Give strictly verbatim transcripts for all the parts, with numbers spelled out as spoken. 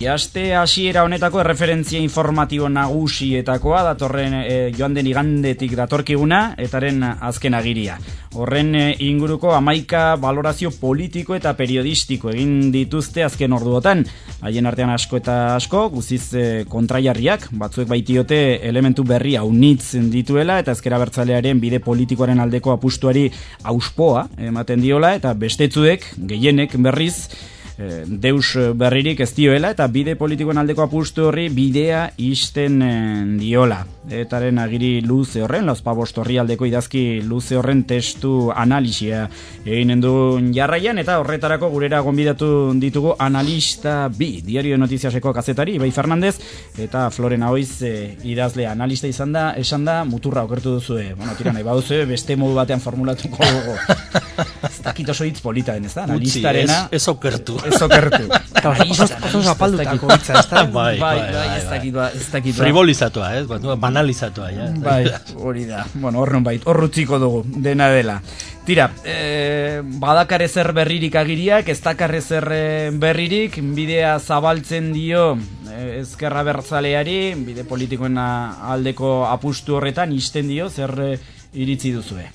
Aste hasiera honetako erreferentzia informatibo nagusietakoa datorren e, joan den igandetik datorkiguna etaren azken agiria. Horren e, inguruko hamaika balorazio politiko eta periodistiko egin dituzte azken orduotan. Haien artean asko eta asko, guztiz e, kontraiarriak, batzuek baitiote elementu berri haunitz dituela eta ezker abertzalearen bide politikoaren aldeko apustuari auspoa ematen diola eta bestetzuek, gehienek berriz, deus berririk ez dioela eta bide politikoen aldeko apustu horri bidea isten diola. Etaren agiri luze horren, lauzpabost horri aldeko idazki luze horren testu analisia eginen du jarraian eta horretarako gurera gonbidatu ditugu analista bi, Diario de Notiziaseko kazetari, Ibai Fernandez eta Florena Oiz e, idazle analista izan da, esan da, muturra okertu duzue. Bueno, tira nahi baduzue, beste modu batean formulatuko dugu. Ez dakit oso hitz polita den, ez da? Analistarena... Ez, ez okertu. Ez okertu. Oso zapaldutako hitza, ez da? Bai, bai, ez dakit, ez dakit. Frivolizatua, ez? Banalizatua, ja. Bai, hori da. Bueno, hor non bait, hor rutziko dugu, dena dela. Tira, eh, badakar ezer berririk agiriak, ez dakar ezer berririk, bidea zabaltzen dio eh, ezkerra bertzaleari, bide politikoen aldeko apustu horretan, isten dio, zer eh, iritzi duzue?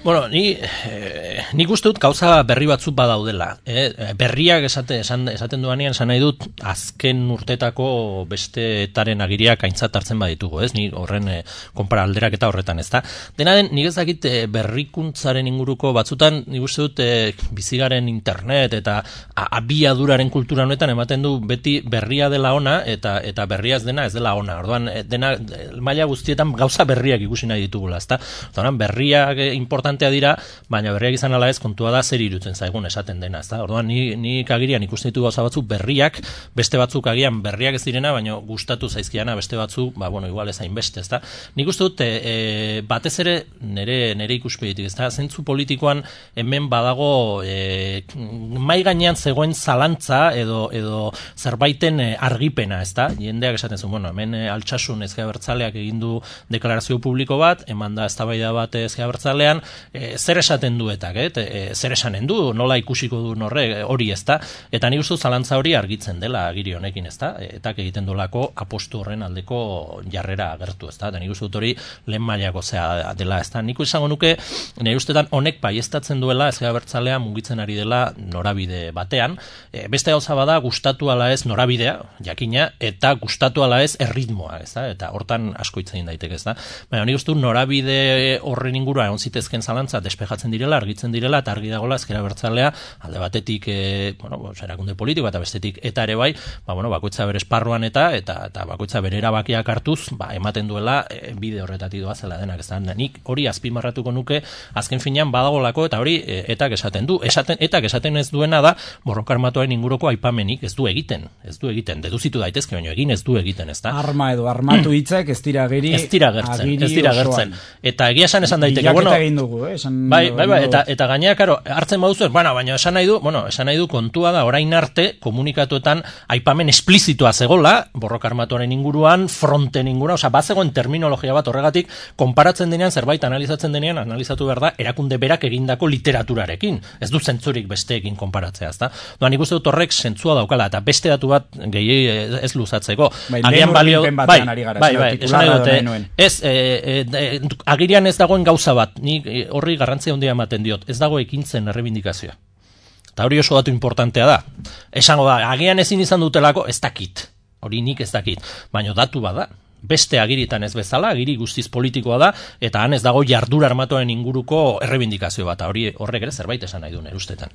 Bueno, ni, eh, nik uste dut gauza berri batzuk badaudela. Eh? Berriak esate, esan, esaten duanean esan nahi dut azken urtetako beste etaren agiriak aintzat hartzen baditugu, ez? Ni horren eh, konpara alderak eta horretan, ez da? Dena den, nik ez dakit eh, berrikuntzaren inguruko batzutan, nik uste dut eh, bizigaren internet eta abiaduraren kultura honetan ematen du beti berria dela ona eta eta berria ez dena ez dela ona. Orduan, dena maila guztietan gauza berriak ikusi nahi ditugula, ez da? Orduan, berriak eh, importante dira, baina berriak izan ala ez kontua da zer irutzen zaigun esaten dena, ezta? Orduan ni ni agirian ikusten ditu gauza batzuk berriak, beste batzuk agian berriak ez direna, baina gustatu zaizkiana beste batzuk, ba bueno, igual ez hain beste, ezta? Nik uste dut e, batez ere nere nere ikuspegitik, ezta? Zentzu politikoan hemen badago e, mai gainean zegoen zalantza edo edo zerbaiten e, argipena, ezta? Jendeak esaten zuen, bueno, hemen e, Altsasun Ezker Abertzaleak egin du deklarazio publiko bat, eman da eztabaida bat Ezker Abertzalean. E, zer esaten duetak, eh? e, zer esanen du, nola ikusiko du norre, hori ez da, eta nik uste zalantza hori argitzen dela agiri honekin, ez da, eta egiten dolako apostu horren aldeko jarrera agertu, ez da, eta nik uste dut hori lehen mailako zea dela, ez da, nik izango nuke, nire ustetan honek baieztatzen duela Ezker Abertzalea mugitzen ari dela norabide batean, e, beste gauza bada gustatu ala ez norabidea, jakina, eta gustatu ala ez erritmoa, ez da, eta hortan asko hitz egin daiteke, ez da, baina nik uste dut norabide horren ingurua egon zitezken zalantza despejatzen direla, argitzen direla, eta argi dagoela Ezker Abertzalea alde batetik e, bueno, erakunde politiko eta bestetik eta ere bai, ba, bueno, bakoitza bere esparruan eta eta, eta bakoitza bere erabakiak hartuz, ba, ematen duela e, bide horretatik doa zela denak, ez da, nik hori azpimarratuko nuke azken finean badagolako eta hori e, etak esaten du, esaten, etak esaten ez duena da borroka armatuaren inguruko aipamenik ez du egiten, ez du egiten, deduzitu daitezke, baina egin ez du egiten, ez da. Arma edo armatu hitzak ez dira geri, ez dira gertzen, ez dira gertzen, eta egia esan esan daiteke, bueno, dugu, eh? Esan, bai, bai, bai, eta, eta gainera, karo, hartzen baduzu, bueno, baina esan nahi du, bueno, esan nahi du kontua da, orain arte, komunikatuetan aipamen esplizitua zegola, borroka armatuaren inguruan, fronten inguruan, oza, bat zegoen terminologia bat horregatik, konparatzen denean, zerbait analizatzen denean, analizatu behar da, erakunde berak egindako literaturarekin, ez du zentzurik besteekin konparatzea, ezta? Doan, ikuste dut horrek zentzua daukala, eta beste datu bat gehi ez luzatzeko. Bai, agian balio, bai, bai, bai, esan nahi dute, ez, e, e, e, agirian ez dagoen gauza bat, nik horri garrantzia handia ematen diot, ez dago ekintzen errebindikazioa. Eta hori oso datu importantea da. Esango da, agian ezin izan dutelako, ez dakit. Hori nik ez dakit. Baina datu bada. Beste agiritan ez bezala, agiri guztiz politikoa da, eta han ez dago jardura armatuaren inguruko errebindikazio bat. Hori horrek ere zerbait esan nahi du nire ustetan.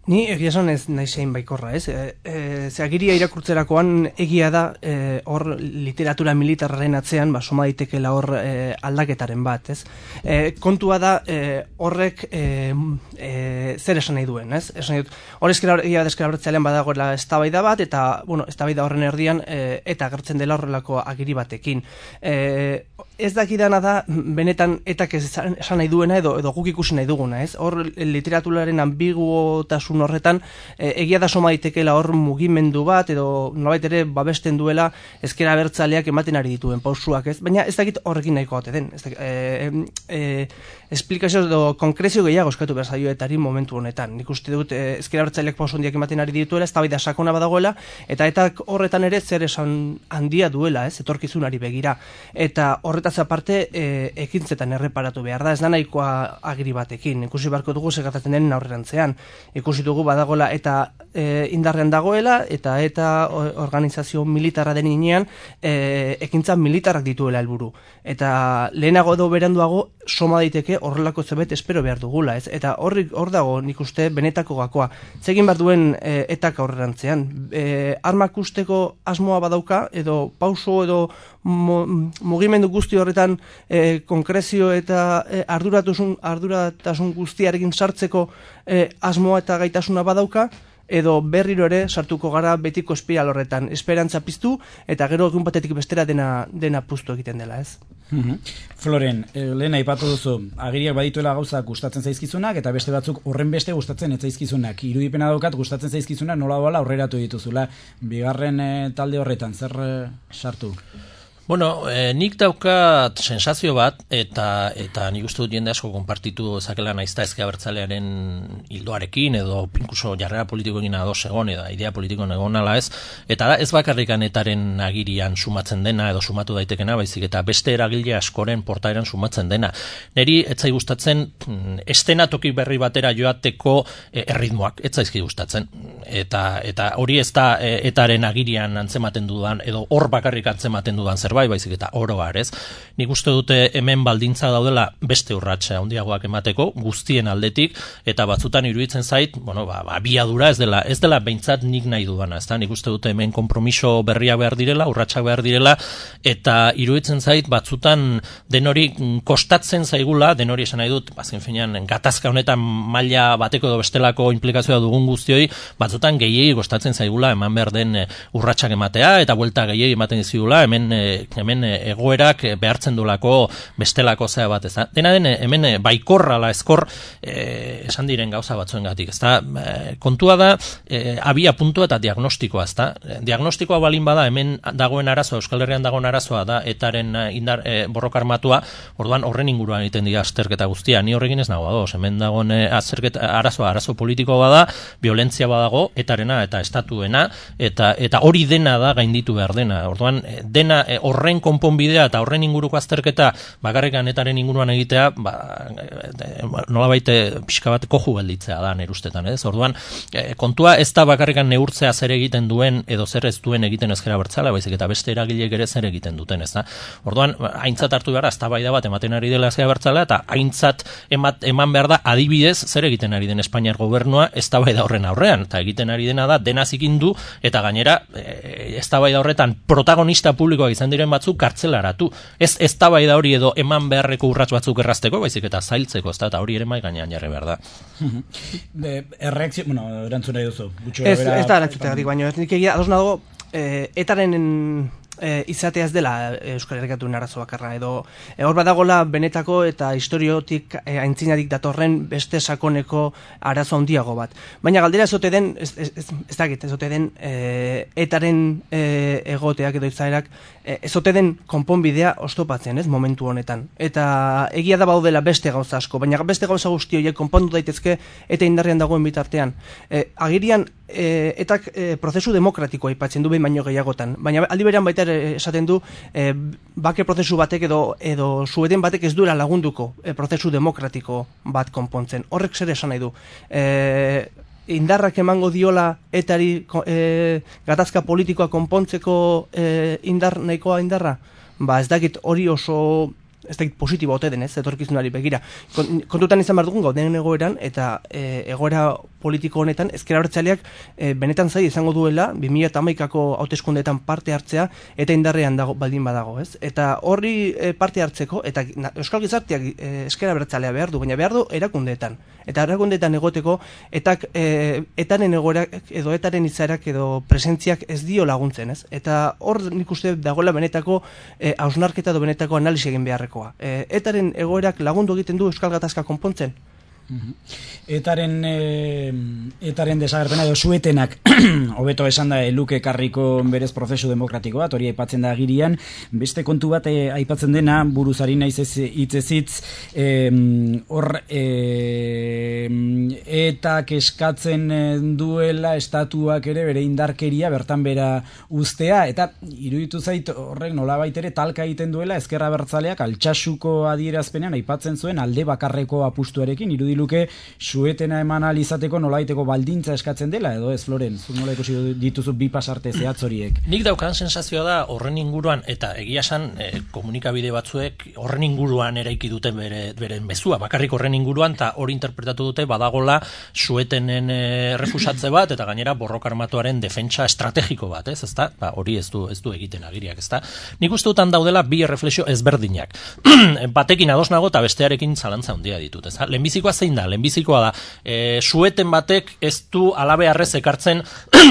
Ni egia esan ez nahi zein baikorra, ez? E, e, ze agiria irakurtzerakoan egia da e, hor literatura militarraren atzean ba, soma daitekela hor e, aldaketaren bat, ez? E, kontua da e, horrek e, e, zer esan nahi duen, ez? Esan nahi dut, hor egia Ezker Abertzalean badagoela eztabaida bat, eta, bueno, eztabaida horren erdian e, eta agertzen dela horrelako agiri batekin. E, ez dakidana da, benetan etak esan nahi duena edo, edo guk ikusi nahi duguna, ez? Hor literaturaren ambiguotasun kasun horretan, e, egia da soma daitekela hor mugimendu bat, edo nolabait ere babesten duela ezker abertzaleak ematen ari dituen pausuak, ez? Baina ez dakit horrekin nahiko ote den. Ez dakit, e, e, esplikazio edo konkrezio gehiago eskatu behar zaioetari momentu honetan. Nik uste dut e, ezker abertzaleak pausu handiak ematen ari dituela, ez da sakona badagoela, eta eta horretan ere zer esan handia duela, ez? Etorkizunari begira. Eta horretaz aparte e, ekintzetan erreparatu behar da, ez da nahikoa agiri batekin. Ikusi barko dugu segatatzen den aurrerantzean. Ikusi dugu badagoela eta e, indarrean dagoela, eta eta organizazio militarra den inean e, ekintza militarrak dituela helburu. Eta lehenago edo beranduago soma daiteke horrelako zerbait espero behar dugula, ez? Eta horrik hor dago nik uste benetako gakoa. Zegin behar duen e, etak aurrerantzean. E, armak usteko asmoa badauka, edo pauso edo mugimendu guzti horretan e, konkrezio eta e, arduratasun, arduratasun guztiarekin sartzeko e, asmoa eta gaitasuna badauka, edo berriro ere sartuko gara betiko espiral horretan, esperantza piztu, eta gero egun batetik bestera dena, dena puztu egiten dela, ez? Floren, lehen aipatu duzu, agiriak badituela gauzak gustatzen zaizkizunak, eta beste batzuk horren beste gustatzen ez zaizkizunak. Irudipena daukat gustatzen zaizkizunak nola doala aurreratu dituzula. Bigarren e, talde horretan, zer e, sartu? Bueno, eh, nik daukat sensazio bat, eta eta nik uste dut jende asko konpartitu zakela naizta ezker abertzalearen hildoarekin, edo incluso jarrera politikoekin ados egon, edo idea politikoen egon ala ez, eta da ez bakarrikan etaren agirian sumatzen dena, edo sumatu daitekena, baizik eta beste eragile askoren portaeran sumatzen dena. Neri etzai gustatzen estenatoki berri batera joateko eh, erritmoak, etzaizki gustatzen. Eta, eta hori ez da eh, etaren agirian antzematen dudan, edo hor bakarrik antzematen dudan zerbait, baizik eta oro har, ez? Nik uste dute hemen baldintza daudela beste urratsa handiagoak emateko guztien aldetik, eta batzutan iruditzen zait, bueno, ba, ba abiadura ez dela, ez dela behintzat nik nahi dudana, ezta? Nik uste dute hemen konpromiso berriak behar direla, urratsak behar direla, eta iruditzen zait batzutan denori kostatzen zaigula, denori esan nahi dut, azken finean gatazka honetan maila bateko edo bestelako inplikazioa dugun guztioi, batzutan gehiegi kostatzen zaigula eman behar den urratsak ematea, eta buelta gehiegi ematen dizigula, hemen hemen egoerak behartzen dulako bestelako zea bat, ez da? Dena den, hemen baikorra la eskor eh, esan diren gauza batzuengatik, ez da? Eh, kontua da, eh, abia puntua eta diagnostikoa, ez da? Diagnostikoa balin bada, hemen dagoen arazoa, Euskal Herrian dagoen arazoa da, etaren indar, eh, borroka armatua, orduan horren inguruan egiten dira azterketa guztia, ni horrekin ez nago ados, hemen dagoen eh, azterketa, arazoa, arazo politiko bada, violentzia badago, etarena eta estatuena, eta eta hori dena da gainditu behar dena, orduan dena eh, horren konponbidea eta horren inguruko azterketa bakarrikan etaren inguruan egitea, ba, nolabait pixka bat koju gelditzea da nire ustetan, ez? Orduan, kontua ez da bakarrikan neurtzea zer egiten duen edo zer ez duen egiten ezker abertzalea, baizik eta beste eragileek ere zer egiten duten, ez da? Orduan, aintzat hartu behar, eztabaida bat ematen ari dela ezker abertzalea, eta aintzat emat, eman behar da adibidez zer egiten ari den Espainiar gobernua eztabaida horren aurrean, eta egiten ari dena da dena zikindu, eta gainera eztabaida horretan protagonista publikoak izan diren batzuk kartzelaratu. Ez eztabaida hori edo eman beharreko urrats batzuk errazteko, baizik eta zailtzeko, ezta, eta hori ere mai gainean jarri behar da. Erreakzio, bueno, erantzun nahi duzu. Ez, ez da erantzutegatik, baina ez nik egia, ados nago, etaren e, izatea ez dela Euskal Herriatuen arazo bakarra, edo e, hor badagola benetako eta historiotik e, aintzinarik datorren beste sakoneko arazo handiago bat. Baina galdera ez ote den, ez, ez, ez, ez dakit, ez ote den e, etaren e, egoteak edo izaerak, e, ez ote den konponbidea oztopatzen, ez, momentu honetan. Eta egia da baudela beste gauza asko, baina beste gauza guzti horiek konpondu daitezke eta indarrean dagoen bitartean. E, agirian, E, etak e, prozesu demokratikoa aipatzen du behin baino gehiagotan, baina aldi berean baita esaten du e, bake prozesu batek edo edo sueten batek ez duela lagunduko e, prozesu demokratiko bat konpontzen. Horrek zer esan nahi du? E, indarrak emango diola etari e, gatazka politikoa konpontzeko e, indar nahikoa indarra? Ba ez dakit hori oso ez dakit positibo ote den, ez, etorkizunari begira. Kontutan izan behar dugun gauden egoeran, eta e, egoera politiko honetan, ezker abertzaleak e, benetan zai izango duela, bi mila hamaikako hauteskundeetan parte hartzea, eta indarrean dago, baldin badago, ez? Eta horri e, parte hartzeko, eta na, Euskal Gizarteak e, ezker abertzalea behar du, baina behar du erakundeetan. Eta erakundeetan egoteko, etak, e, etaren egoerak, edo etaren izaerak, edo presentziak ez dio laguntzen, ez? Eta hor nik uste dagoela benetako e, hausnarketa edo benetako analisi egin beharrekoa. E, etaren egoerak lagundu egiten du Euskal Gatazka konpontzen? Etaren e, etaren desagerpena edo suetenak hobeto esan da luke karriko berez prozesu demokratiko bat, hori aipatzen da agirian. Beste kontu bat e, aipatzen dena, buruzari naiz ez hitzezitz, hor e, etak eskatzen duela estatuak ere bere indarkeria bertan bera ustea, eta iruditu zait horrek nolabait ere talka egiten duela ezker abertzaleak Altsasuko adierazpenean aipatzen zuen alde bakarreko apustuarekin, irudiluke suetena eman alizateko nolaiteko baldintza eskatzen dela, edo ez, Floren? Zuk nola ikusi dituzu bi pasarte zehatz horiek? Nik daukan sensazioa da horren inguruan, eta egia esan e, komunikabide batzuek horren inguruan eraiki duten bere, beren mezua, bakarrik horren inguruan, eta hori interpretatu dute badagola suetenen e, refusatze bat, eta gainera borroka armatuaren defentsa estrategiko bat, ez, ezta? Ba, hori ez du, ez du egiten agiriak, ezta? Nik uste dutan daudela bi erreflexio ezberdinak. Batekin ados nago eta bestearekin zalantza handia ditut, ezta? Lehenbizikoa zein da? Lehenbizikoa da E, sueten batek ez du alabearrez ekartzen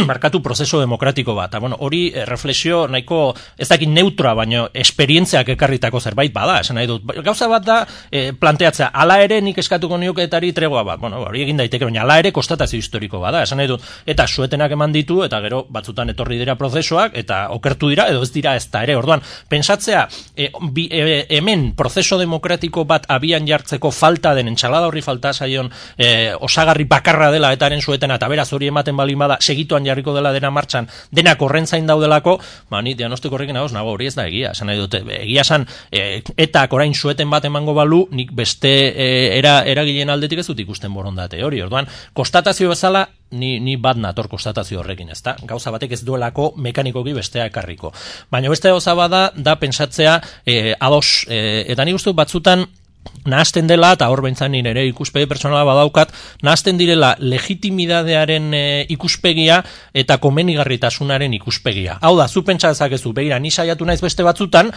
markatu prozeso demokratiko bat. Bueno, hori e, reflexio nahiko ez dakit neutra, baino esperientziak ekarritako zerbait bada, esan nahi dut. Gauza bat da e, planteatzea, ala ere nik eskatuko niokeetari tregua bat. Bueno, hori egin daiteke, baina ala ere konstatazio historiko bada, esan nahi dut. Eta suetenak eman ditu, eta gero batzutan etorri dira prozesoak, eta okertu dira, edo ez dira ez da ere. Orduan, pensatzea, e, bi, e, hemen prozeso demokratiko bat abian jartzeko falta den, entxalada horri falta zaion e, osagarri bakarra dela etaren suetena, eta beraz hori ematen balin bada segituan jarriko dela dena martxan, denak horren zain daudelako, ba, ni diagnostiko horrekin nagoz, nago hori ez da egia, esan nahi dute, egia esan, e, etak orain sueten bat emango balu, nik beste e, era, eragileen aldetik ez dut ikusten borondate hori, orduan, konstatazio bezala, ni, ni bat nator konstatazio horrekin, ezta? Gauza batek ez duelako mekanikoki bestea ekarriko. Baina beste gauza bada, da pentsatzea e, ados, e, eta nik uste batzutan, nahazten dela, eta hor behintzan nire ikuspegi personala badaukat, nahazten direla legitimitatearen e, ikuspegia eta komenigarritasunaren ikuspegia. Hau da, zu pentsa dezakezu, begira, ni saiatu naiz beste batzutan,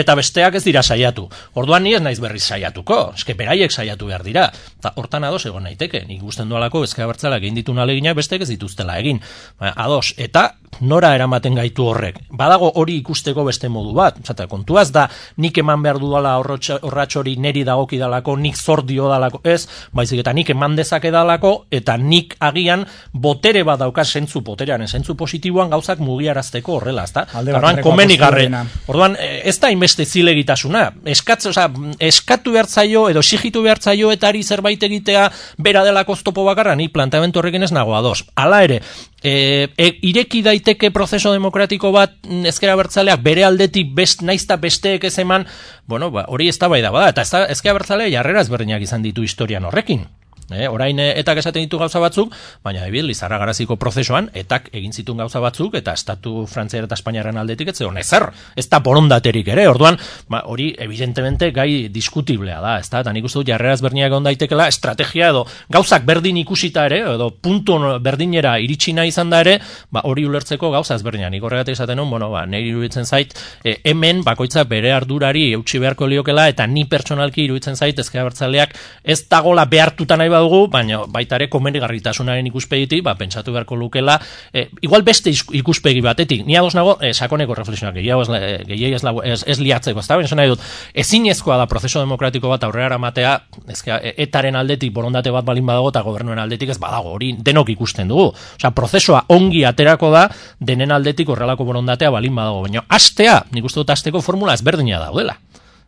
eta besteak ez dira saiatu. Orduan ni ez naiz berriz saiatuko, eske beraiek saiatu behar dira. Eta hortan ados egon naiteke, nik ikusten dualako ezker abertzaleak egin ditun aleginak bestek ez dituztela egin. Ba, ados, eta nora eramaten gaitu horrek. Badago hori ikusteko beste modu bat. Zata, kontuaz da, nik eman behar dudala horratx hori neri dagoki dalako, nik zor dio dalako, ez, baizik eta nik eman dezake dalako, eta nik agian botere bat dauka zentzu boterearen, zentzu positiboan gauzak mugiarazteko horrela, ezta? Orduan, komenigarre. Orduan, ez da inbeste zilegitasuna. Eskatz, oza, eskatu behartzaio, edo exigitu behartzaio etari zerbait egitea bera delako oztopo bakarra, ni planteamendu horrekin ez nago ados. Hala ere, E, e, ireki daiteke prozeso demokratiko bat ezker abertzaleak bere aldetik best, naizta besteek ez eman, bueno, ba, hori ez da bai da bada, eta ezker abertzalea jarrera ezberdinak izan ditu historian horrekin. E, orain etak esaten ditu gauza batzuk, baina ebil, Lizarra Garaziko prozesuan etak egin zituen gauza batzuk, eta estatu frantziar eta espainiaren aldetik ez zegoen ezer, ez da borondaterik ere, orduan, ba, hori evidentemente gai diskutiblea da, ez da, eta nik uste dut jarrera ezberdinak egon daitekela, estrategia edo gauzak berdin ikusita ere, edo puntu berdinera iritsi nahi izan da ere, ba, hori ulertzeko gauza ezberdinak, nik horregatik esaten hon, bueno, ba, niri iruditzen zait, e, hemen bakoitza bere ardurari eutsi beharko liokela, eta ni pertsonalki iruditzen zait ezker abertzaleak ez dagola behartuta nahi badugu, baina baita ere komenigarritasunaren ikuspegitik, ba, pentsatu beharko lukela, e, igual beste ikuspegi batetik, ni ados nago, e, sakoneko reflexionak, gehiago ez, gehiago ez, ez liatzeko, ez da, baina nahi dut, ezinezkoa da prozeso demokratiko bat aurrera eramatea, ezka, etaren aldetik borondate bat balin badago, eta gobernuen aldetik ez badago, hori denok ikusten dugu. Osea, prozesua ongi aterako da, denen aldetik horrelako borondatea balin badago, baina astea, nik uste dut asteko formula ezberdina daudela.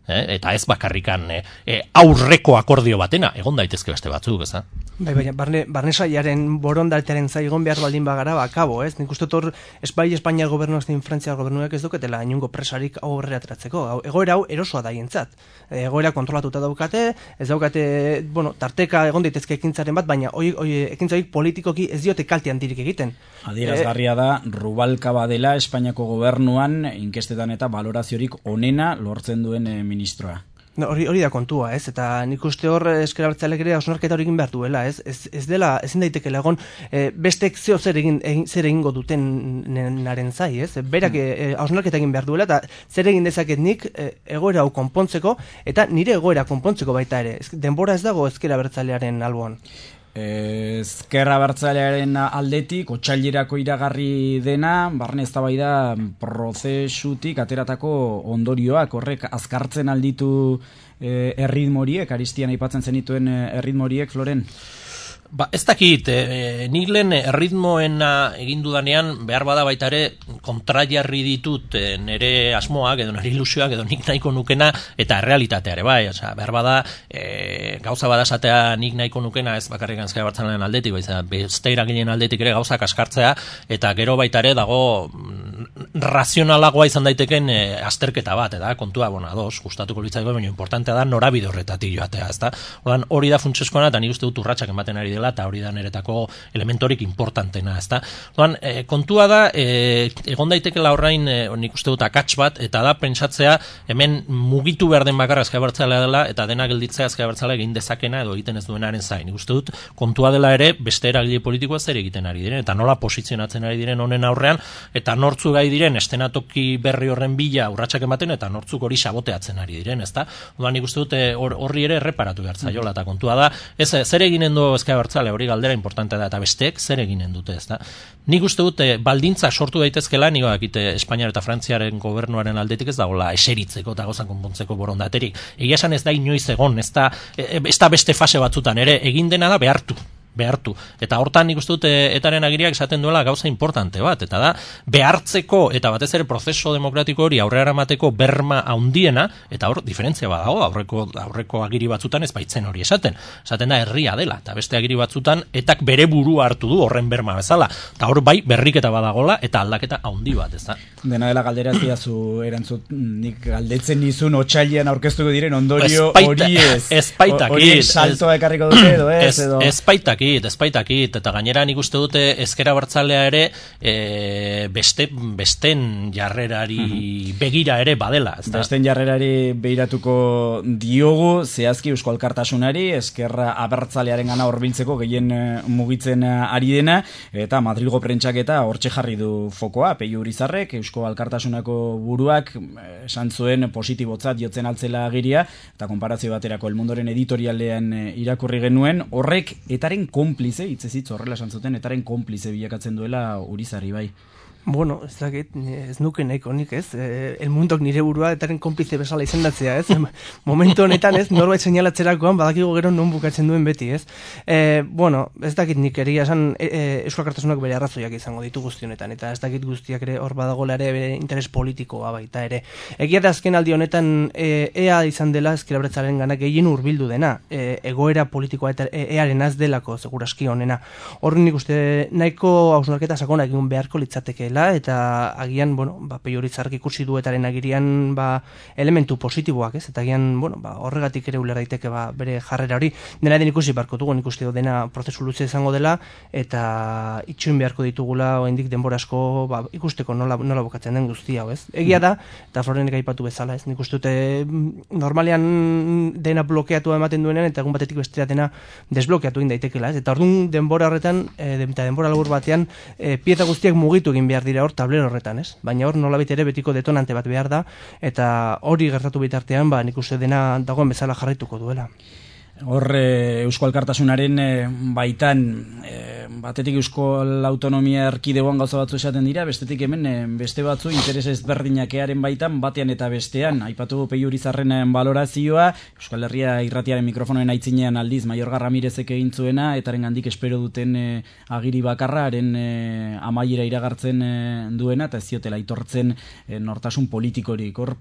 Eh, eta ez bakarrikan eh, eh, aurreko akordio batena, egon daitezke beste batzuk, ez da? Bai, baina, barne, barne saiaren borondatearen zaigon behar baldin bagara, bakabo, ez? Nik uste hor, espai Espainiar gobernuak zein Frantziar gobernuak ez duketela inungo presarik aurrera ateratzeko. Egoera hau erosoa da hientzat. Egoera kontrolatuta daukate, ez daukate, bueno, tarteka egon daitezke ekintzaren bat, baina oi, oi, ekintza horiek politikoki ez diote kalte handirik egiten. Adierazgarria da, Rubalcaba dela Espainiako gobernuan, inkestetan eta valoraziorik onena lortzen duen eh, ministroa. No, hori, hori da kontua, ez? Eta nik uste hor ezker abertzaleak ere hausnarketa hori egin behar duela, ez? Ez, ez dela, ezin daitekela egon, e, bestek zeo zer egin, egin zer egingo duten naren zai, ez? Berak hausnarketa egin behar duela, eta zer egin dezaket nik e, egoera hau konpontzeko, eta nire egoera konpontzeko baita ere. Ez, denbora ez dago ezker abertzalearen alboan. Ezker abertzalearen aldetik otsailerako iragarri dena, barne eztabaida prozesutik ateratako ondorioak horrek azkartzen alditu e, erritmoriek, Aristian aipatzen zenituen erritmoriek, Floren? Ba, ez dakit, e, nik lehen erritmoena egin dudanean behar bada baita ere kontrajarri ditut e, nire asmoak edo nire ilusioak edo nik nahiko nukena eta realitatea ere bai, osea, behar bada e, gauza bada esatea nik nahiko nukena ez bakarrik Ezker Abertzalearen aldetik, baiza, beste eragileen aldetik ere gauzak askartzea eta gero baita ere dago razionalagoa izan daiteken e, azterketa bat, eta kontua, bueno, ados, gustatuko litzaiko, baina importantea da norabide horretatik joatea, ezta? Ordan hori da funtsezkoena eta nik uste dut urratsak ematen ari dela eta hori da niretako elementorik importantena, ezta? Ordan e, kontua da e, egon daitekeela orain e, nik uste dut akats bat eta da pentsatzea hemen mugitu behar den bakarra Ezker Abertzalea dela eta dena gelditzea Ezker Abertzalea egin dezakena edo egiten ez duenaren zain. Nik uste dut kontua dela ere beste eragile politikoa zer egiten ari diren eta nola posizionatzen ari diren honen aurrean eta nortzu gai diren estenatoki berri horren bila urratsak ematen eta nortzuk hori saboteatzen ari diren, ezta? Orduan nik uste dut horri ere erreparatu behar zaiola eta kontua da, ez zer eginen du Ezker Abertzalea, hori galdera importantea da eta besteek zer eginen dute, ezta? Nik uste dut baldintzak sortu daitezkela, nik dakite Espainiar eta Frantziaren gobernuaren aldetik ez dagoela eseritzeko eta gozan konpontzeko borondaterik. Egia esan ez da inoiz egon, ez da, ez da beste fase batzutan ere egin dena da behartu. behartu. Eta hortan nik uste dut etaren agiriak esaten duela gauza importante bat, eta da behartzeko eta batez ere prozeso demokratiko hori aurrera eramateko berma handiena, eta hor diferentzia badago, aurreko aurreko agiri batzutan ez baitzen hori esaten. Esaten da herria dela, eta beste agiri batzutan etak bere burua hartu du horren berma bezala. Eta hor bai berriketa badagola eta aldaketa handi bat, ezta. Dena dela galdera ez diazu erantzut, nik galdetzen nizun otsailean aurkeztuko diren ondorio hori ez. Hori saltoa ekarriko dute edo ez edo. Espaitak Espaitakit, eta gainera nik uste dute Ezker Abertzalea ere e, beste, besten jarrerari begira ere badela. Ezta? Besten jarrerari begiratuko diogu, zehazki Eusko Alkartasunari, Ezker Abertzalearen gana horbiltzeko gehien mugitzen ari dena, eta Madrilgo prentsak-eta hortxe jarri du fokoa, Peio Urizarrek, Eusko Alkartasunako buruak esan zuen positibotzat jotzen altzela agiria, eta konparazio baterako El Mundoren editorialean irakurri genuen, horrek etaren konplize, hitzezitz horrela esan zuten, etaren konplize bilakatzen duela Urizarri bai. Bueno, ez dakit, ez nuke nahiko nik, ez? E, el mundok nire burua etaren konplize bezala izendatzea, ez? Momentu honetan, ez? Norbait seinalatzerakoan badakigu gero non bukatzen duen beti, ez? E, bueno, ez dakit nik egia esan e, e, Eusko Alkartasunak bere arrazoiak izango ditu guzti honetan, eta ez dakit guztiak ere hor badagoela ere bere interes politikoa baita ere. Egia da azken aldi honetan e, ea izan dela Ezker Abertzalearen gana gehien hurbildu dena, e, egoera politikoa eta e, earen az delako seguraski honena. Horren nik uste nahiko hausnarketa sakona egin beharko litzateke eta agian, bueno, ba, Peio Urizarrek ikusi duetaren agirian ba, elementu positiboak, ez? Eta agian, bueno, ba, horregatik ere uler daiteke ba, bere jarrera hori. Dena den ikusi beharko dugu, nik uste dena prozesu luze izango dela, eta itxuin beharko ditugula, oraindik denbora asko ba, ikusteko nola, nola bokatzen den guztia, ez? Egia da, eta Florenek aipatu bezala, ez? Nik uste dute normalean dena blokeatu ematen duenean, eta egun batetik bestera dena desblokeatu egin daitekela, ez? Eta orduan denbora horretan, e, eta denbora labur batean, e, pieza guztiak mugitu egin behar dira hor tablero horretan, ez? Baina hor nolabait ere betiko detonante bat behar da, eta hori gertatu bitartean, ba, nik uste dena dagoen bezala jarraituko duela. Hor e, Eusko Alkartasunaren e, baitan e, batetik Euskal Autonomia Erkidegoan gauza batzu esaten dira, bestetik hemen e, beste batzu interes ezberdinakearen baitan batean eta bestean. Aipatu Peio Urizarren balorazioa, Euskal Herria irratiaren mikrofonoen aitzinean aldiz Maiorga Ramirezek egin zuena, etaren gandik espero duten e, agiri bakarra, haren e, amaiera iragartzen e, duena, eta ez ziotela aitortzen e, nortasun politikorik. Hor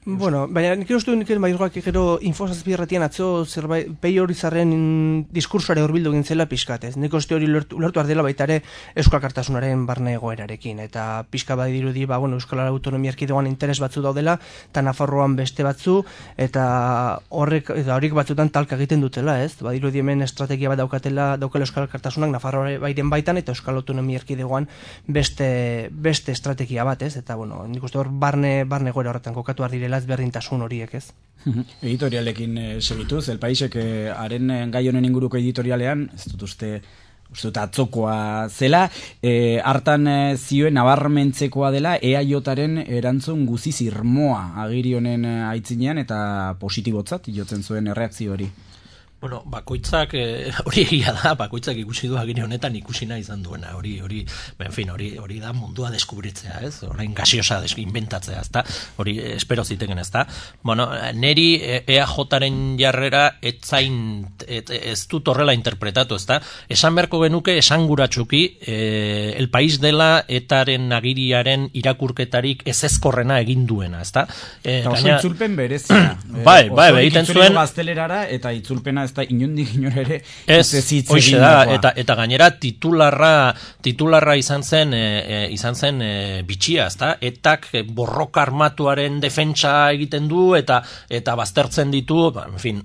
Bueno, baina nik uste du nik Maiorgak gero Infosazpi irratian atzo zerbait Peio Urizarren diskursoare hurbildu egin zela pixkat, ez? Nik uste hori ulertu ardela baita ere Euskal Alkartasunaren barne egoerarekin, eta pixka badirudi ba, bueno, Euskal Autonomia Erkidegoan interes batzu daudela, eta Nafarroan beste batzu, eta horrek eta horiek batzutan talka egiten dutela, ez? Badirudi hemen estrategia bat daukatela, daukela Euskal Alkartasunak Nafarroa bairen baitan, eta Euskal Autonomia Erkidegoan beste beste estrategia bat, ez? Eta bueno, nik uste hor barne barne egoera horretan kokatu direla berdintasun horiek, ez? Editorialekin e, segituz, El Paisek e, haren gai honen inguruko editorialean, ez dut uste, uste dut atzokoa zela, e, hartan e, zioen nabarmentzekoa dela E A Jaren erantzun guziz irmoa agiri honen aitzinean eta positibotzat jotzen zuen erreakzio hori. Bueno, bakoitzak eh, hori egia da, bakoitzak ikusi du agiri honetan ikusi nahi izan duena, hori hori, en fin, hori hori da mundua deskubritzea, ez? Orain gaseosa inventatzea, ezta? Hori espero ziteken, ezta? Bueno, neri E A Jaren jarrera etzain et, ez dut horrela interpretatu, ezta? Esan beharko genuke esanguratsuki eh, El País dela etaren agiriaren irakurketarik ezezkorrena egin duena, ezta? Eh, gaina itzulpen berezia. Bai, bai, egiten zuen gaztelerara eta itzulpena ez da inondik inor ere ez hoize da, eta eta gainera titularra titularra izan zen e, e, izan zen e, bitxia, ezta? Etak borroka armatuaren defentsa egiten du eta eta baztertzen ditu, ba, en fin,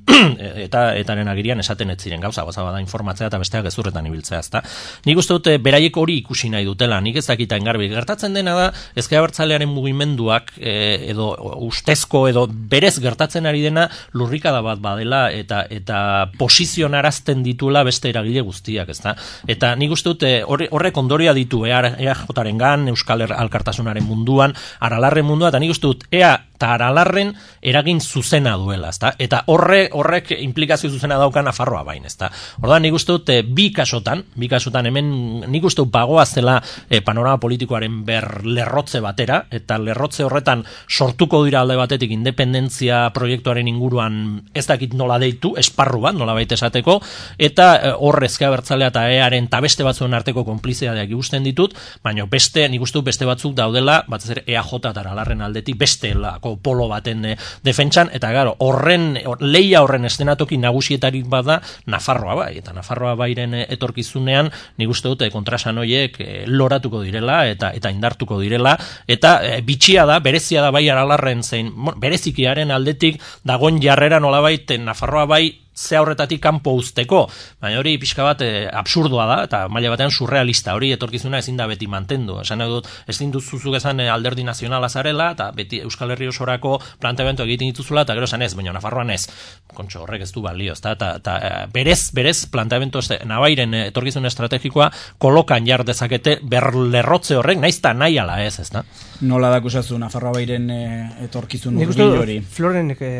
eta etaren agirian esaten ez ziren gauza, goza bada informatzea eta besteak gezurretan ibiltzea, ezta? Nik uste dut beraiek hori ikusi nahi dutela, nik ez dakitain garbi. Gertatzen dena da Ezker Abertzalearen mugimenduak e, edo ustezko edo berez gertatzen ari dena lurrikada bat badela eta eta posizionarazten ditula beste eragile guztiak, ezta? Eta nik uste dute horrek ondoria ditu E A Jarengan, Euskal Alkartasunaren munduan, Aralarren mundua, eta nik uste dut E A eta Aralarren eragin zuzena duela, ezta? Eta horre, horrek implikazio zuzena dauka Nafarroa bain, ezta? Orduan nik uste dut bi kasotan, bi kasotan hemen nik uste dut bagoa zela e, panorama politikoaren ber lerrotze batera, eta lerrotze horretan sortuko dira alde batetik independentzia proiektuaren inguruan ez dakit nola deitu, esparru bat, nola baita esateko, eta hor Ezker Abertzalea eta E Aren eta beste batzuen arteko konplizidadeak ikusten ditut, baina beste, nik uste dut beste batzuk daudela, batez ere E A J eta Aralarren aldetik beste lako polo baten e, defentsan, eta gero, horren, or, leia horren estenatoki nagusietarik bada Nafarroa bai, eta Nafarroa bairen e, etorkizunean, nik uste dute kontrasan horiek e, loratuko direla, eta eta indartuko direla, eta e, bitxia da, berezia da bai Aralarren zein, berezikiaren aldetik dagoen jarrera nolabait Nafarroa bai ze horretatik kanpo uzteko, baina hori pixka bat e, absurdoa da, eta maila batean surrealista, hori etorkizuna ezin da beti mantendu. Esan dut, ezin duzuzuk esan e, alderdi nazionala zarela, eta beti Euskal Herri osorako planteamendu egiten dituzula, eta gero esan ez, baina Nafarroan ez, kontxo horrek ez du balio, eta, eta, eta berez, berez planteamendu nabairen etorkizun estrategikoa kolokan jar dezakete berlerrotze horrek, naiz eta nahi ala ez, ez da? Nola dakusazu Nafarroa bairen e, etorkizun hurbil hori? Florenek e,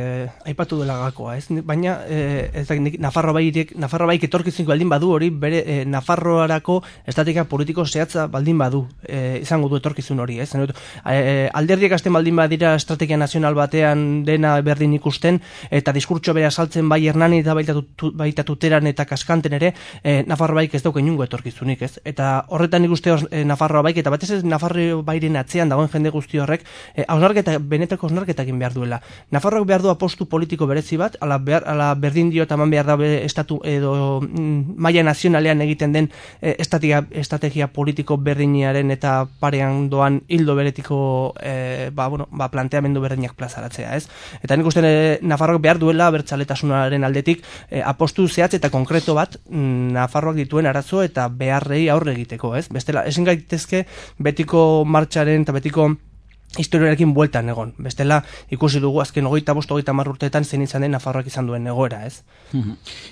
aipatu dela gakoa, ez? Baina e, ez da, Nafarroa bairek, Nafarroa baik etorkizunik baldin badu hori, bere e, Nafarroarako estrategia politiko zehatza baldin badu, e, izango du etorkizun hori, ez? E, alderdiek hasten baldin badira estrategia nazional batean dena berdin ikusten, eta diskurtso bere asaltzen bai Hernani eta baita, tu, baita Tuteran eta Kaskanten ere, e, Nafarroa baik ez dauka inungo etorkizunik, ez? Eta horretan ikuste e, Nafarroa baik, eta batez ez Nafarroa bairen atzean dagoen jende guzti horrek, e, hausnarketa, benetako hausnarketak egin behar duela. Nafarroak behar du apostu politiko berezi bat, ala, behar, ala berdin dio eta man behar da estatu edo mm, maila nazionalean egiten den e, estrategia, estrategia politiko berdinearen eta parean doan hildo beretiko e, ba, bueno, ba, planteamendu berdinak plazaratzea, ez? Eta nik uste e, Nafarroak behar duela abertzaletasunaren aldetik e, apostu zehatz eta konkreto bat mm, Nafarroak dituen arazo eta beharrei aurre egiteko, ez? Bestela, ezin gaitezke betiko martxaren eta betiko historiarekin bueltan egon. Bestela ikusi dugu azken hogeita bost hogeita hamar urteetan zein izan den Nafarroak izan duen egoera, ez?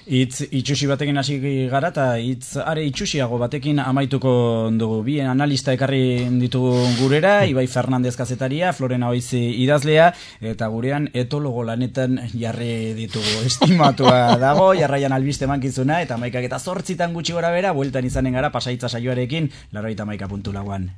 Hitz itxusi batekin hasi gara eta hitz are itxusiago batekin amaituko dugu. Bien analista ekarri ditugu gurera, Ibai Fernandez kazetaria, Florena Oizi idazlea, eta gurean etologo lanetan jarri ditugu. Estimatua dago, jarraian albiste mankizuna, eta hamaikak eta zortzitan gutxi gora bera, bueltan izanen gara pasaitza saioarekin, laurogeita hamaika puntu lauan.